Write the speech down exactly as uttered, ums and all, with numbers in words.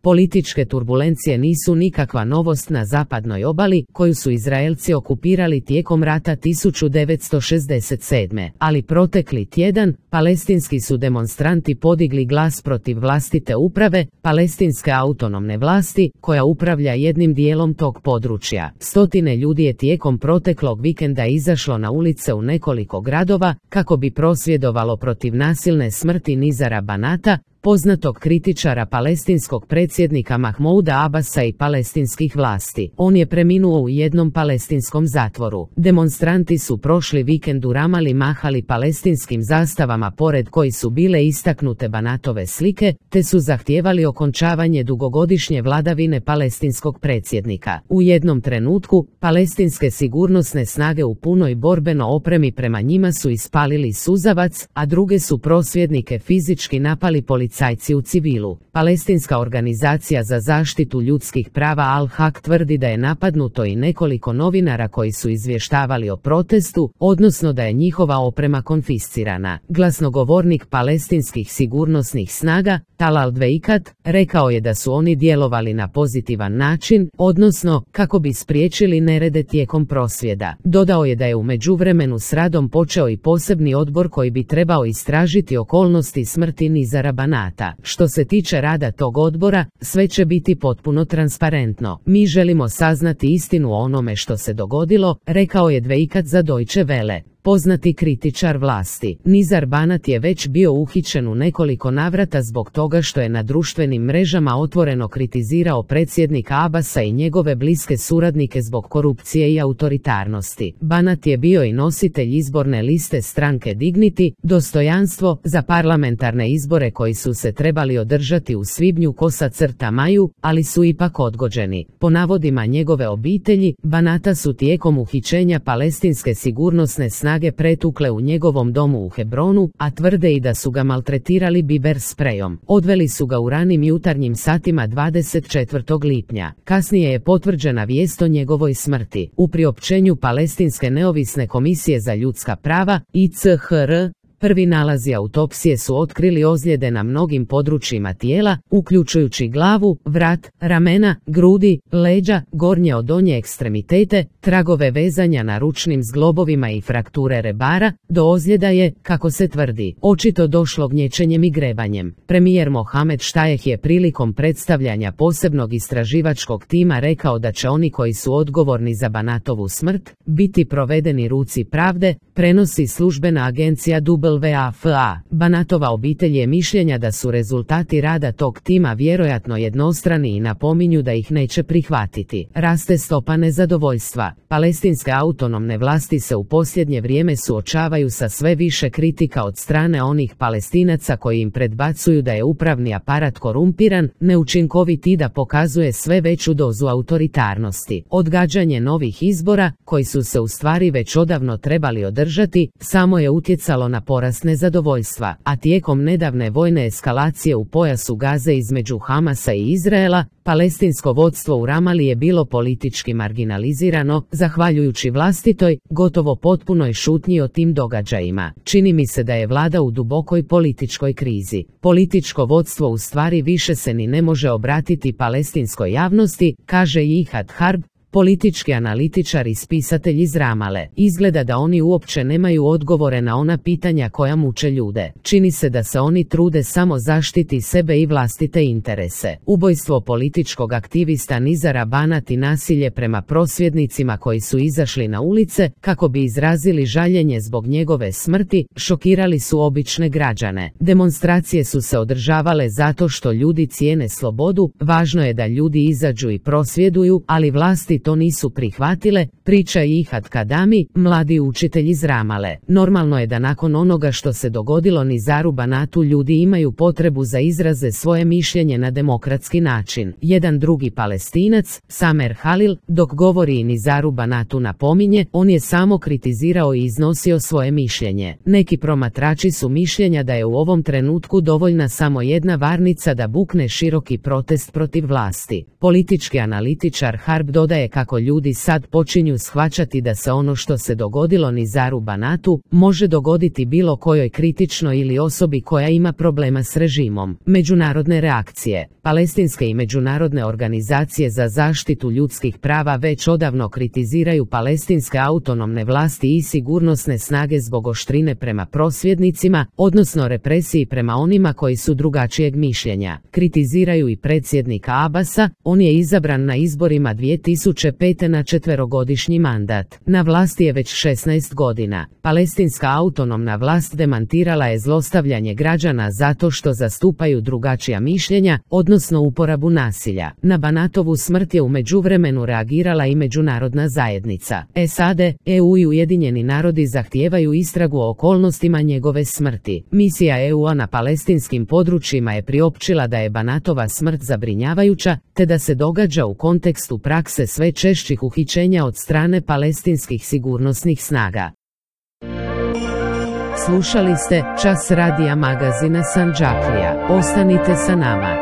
Političke turbulencije nisu nikakva novost na zapadnoj obali, koju su Izraelci okupirali tijekom rata tisuću devetsto šezdeset sedme. Ali protekli tjedan, palestinski su demonstranti podigli glas protiv vlastite uprave, palestinske autonomne vlasti, koja upravlja jednim dijelom tog područja. Stotine ljudi je tijekom proteklog vikenda izašlo na ulice u nekoliko gradova, kako bi prosvjedovalo protiv nasilne smrti Nizara Banata, poznatog kritičara palestinskog predsjednika Mahmouda Abasa i palestinskih vlasti. On je preminuo u jednom palestinskom zatvoru. Demonstranti su prošli vikend u Ramali mahali palestinskim zastavama pored koji su bile istaknute Banatove slike, te su zahtijevali okončavanje dugogodišnje vladavine palestinskog predsjednika. U jednom trenutku, palestinske sigurnosne snage u punoj borbeno opremi prema njima su ispalili suzavac, a druge su prosvjednike fizički napali policajci u civilu. Palestinska organizacija za zaštitu ljudskih prava Al-Haq tvrdi da je napadnuto i nekoliko novinara koji su izvještavali o protestu, odnosno da je njihova oprema konfiscirana. Glasnogovornik palestinskih sigurnosnih snaga, Talal Dveikat, rekao je da su oni djelovali na pozitivan način, odnosno kako bi spriječili nerede tijekom prosvjeda. Dodao je da je u međuvremenu s radom počeo i posebni odbor koji bi trebao istražiti okolnosti smrti Nizara Banata. Što se tiče rada tog odbora, sve će biti potpuno transparentno. Mi želimo saznati istinu o onome što se dogodilo, rekao je Dveikat za Deutsche Welle. Poznati kritičar vlasti. Nizar Banat je već bio uhićen u nekoliko navrata zbog toga što je na društvenim mrežama otvoreno kritizirao predsjednika Abasa i njegove bliske suradnike zbog korupcije i autoritarnosti. Banat je bio i nositelj izborne liste stranke Dignity, dostojanstvo, za parlamentarne izbore koji su se trebali održati u svibnju kosa crta maju, ali su ipak odgođeni. Po navodima njegove obitelji, Banata su tijekom uhićenja palestinske sigurnosne snage snage pretukle u njegovom domu u Hebronu, a tvrde i da su ga maltretirali biber sprejom. Odveli su ga u ranim jutarnjim satima dvadeset četvrtog lipnja. Kasnije je potvrđena vijest o njegovoj smrti. U priopćenju Palestinske neovisne komisije za ljudska prava, I C H R, prvi nalazi autopsije su otkrili ozljede na mnogim područjima tijela, uključujući glavu, vrat, ramena, grudi, leđa, gornje od donje ekstremitete, tragove vezanja na ručnim zglobovima i frakture rebara. Do ozljeda je, kako se tvrdi, očito došlo gnječenjem i grebanjem. Premijer Mohamed Štajeh je prilikom predstavljanja posebnog istraživačkog tima rekao da će oni koji su odgovorni za Banatovu smrt biti provedeni ruci pravde, prenosi službena agencija W A F A. Banatova obitelj je mišljenja da su rezultati rada tog tima vjerojatno jednostrani i napominju da ih neće prihvatiti. Raste stopa nezadovoljstva. Palestinske autonomne vlasti se u posljednje vrijeme suočavaju sa sve više kritika od strane onih Palestinaca koji im predbacuju da je upravni aparat korumpiran, neučinkovit i da pokazuje sve veću dozu autoritarnosti. Odgađanje novih izbora, koji su se u stvari već odavno trebali održati, samo je utjecalo na porast nezadovoljstva, a tijekom nedavne vojne eskalacije u pojasu Gaze između Hamasa i Izraela, palestinsko vodstvo u Ramali je bilo politički marginalizirano, zahvaljujući vlastitoj, gotovo potpunoj šutnji o tim događajima. Čini mi se da je vlada u dubokoj političkoj krizi. Političko vodstvo u stvari više se ni ne može obratiti palestinskoj javnosti, kaže Jihad Harb, politički analitičar i spisatelj iz Ramale. Izgleda da oni uopće nemaju odgovore na ona pitanja koja muče ljude. Čini se da se oni trude samo zaštiti sebe i vlastite interese. Ubojstvo političkog aktivista Nizara Banat i nasilje prema prosvjednicima koji su izašli na ulice kako bi izrazili žaljenje zbog njegove smrti, šokirali su obične građane. Demonstracije su se održavale zato što ljudi cijene slobodu, važno je da ljudi izađu i prosvjeduju, ali vlasti to nisu prihvatile, priča Jihad Kadami, mladi učitelj iz Ramale. Normalno je da nakon onoga što se dogodilo Nizaru Banatu ljudi imaju potrebu za izraze svoje mišljenje na demokratski način. Jedan drugi Palestinac, Samer Halil, dok govori i Nizaru Banatu napominje, on je samo kritizirao i iznosio svoje mišljenje. Neki promatrači su mišljenja da je u ovom trenutku dovoljna samo jedna varnica da bukne široki protest protiv vlasti. Politički analitičar Harb dodaje kako ljudi sad počinju shvaćati da se ono što se dogodilo Nizaru Banatu može dogoditi bilo kojoj kritičnoj ili osobi koja ima problema s režimom. Međunarodne reakcije. Palestinske i međunarodne organizacije za zaštitu ljudskih prava već odavno kritiziraju palestinske autonomne vlasti i sigurnosne snage zbog oštrine prema prosvjednicima, odnosno represiji prema onima koji su drugačijeg mišljenja. Kritiziraju i predsjednika Abasa, on je izabran na izborima dvije tisuće pete na četverogodišnji mandat. Na vlasti je već šesnaest godina. Palestinska autonomna vlast demantirala je zlostavljanje građana zato što zastupaju drugačija mišljenja, odnosno uporabu nasilja. Na Banatovu smrt je u međuvremenu reagirala i međunarodna zajednica. S A D, E U i Ujedinjeni narodi zahtijevaju istragu o okolnostima njegove smrti. Misija E U-a na palestinskim područjima je priopćila da je Banatova smrt zabrinjavajuća, te da se događa u kontekstu prakse sve češćih uhićenja od strane palestinskih sigurnosnih snaga. Slušali ste Čas radija magazina Sandžaklija. Ostanite sa nama.